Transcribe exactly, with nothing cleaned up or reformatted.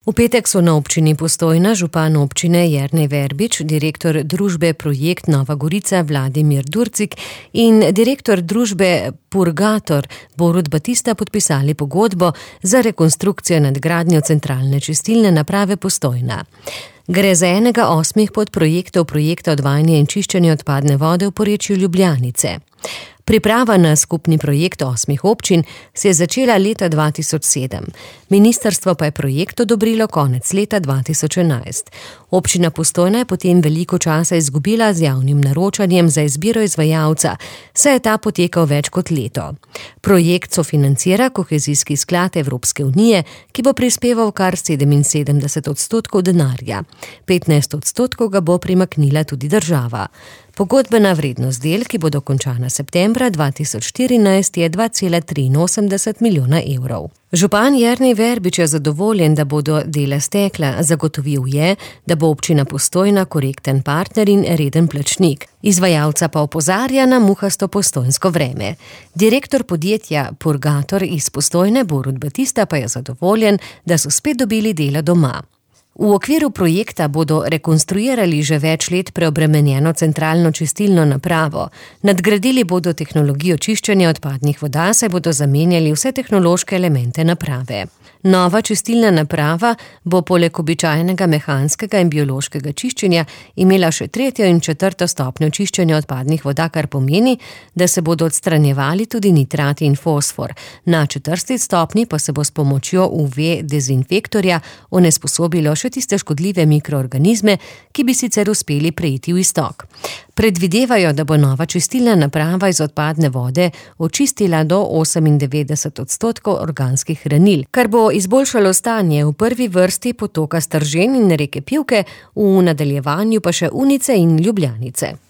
V petek so na občini Postojna župan občine Jernej Verbič, direktor družbe Projekt Nova Gorica Vladimir Durcik in direktor družbe Purgator Borut Batista podpisali pogodbo za rekonstrukcijo nadgradnjo centralne čistilne naprave Postojna. Gre za enega osmih podprojektov projekta odvajanja in čiščenja odpadne vode v porečju Ljubljanice. Priprava na skupni projekt osmih občin se je začela leta dva tisoč sedem. Ministrstvo pa je projekt odobrilo konec leta dva tisoč enajst. Občina Postojna je potem veliko časa izgubila z javnim naročanjem za izbiro izvajalca, saj je ta potekal več kot leto. Projekt sofinancira kohezijski sklad Evropske unije, ki bo prispeval kar sedeminsedemdeset odstotkov denarja. petnajst odstotkov ga bo primaknila tudi država. Pogodbena vrednost del, ki bo dokončana septembra dva tisoč štirinajst, je dva cela triinosemdeset milijona evrov. Župan Jernej Verbič je zadovoljen, da bodo dela stekla. Zagotovil je, da bo občina Postojna korekten partner in reden plačnik. Izvajalca pa opozarja na muhasto postojnsko vreme. Direktor podjetja Purgator iz Postojne Borut Batista pa je zadovoljen, da so spet dobili dela doma. V okviru projekta bodo rekonstruirali že več let preobremenjeno centralno čistilno napravo. Nadgradili bodo tehnologijo čiščenja odpadnih voda, saj bodo zamenjali vse tehnološke elemente naprave. Nova čistilna naprava bo poleg običajnega mehanskega in biološkega čiščenja imela še tretjo in četrto stopnjo čiščenja odpadnih voda, kar pomeni, da se bodo odstranjevali tudi nitrati in fosfor. Na četrti stopni pa se bo s pomočjo U V dezinfektorja onesposobilo še tiste škodljive mikroorganizme, ki bi sicer uspeli preiti v iztok. Predvidevajo, da bo nova čistilna naprava iz odpadne vode očistila do osemindevetdeset odstotkov organskih hranil, kar bo izboljšalo stanje v prvi vrsti potoka Stržen in reke Pivke, v nadaljevanju pa še Unice in Ljubljanice.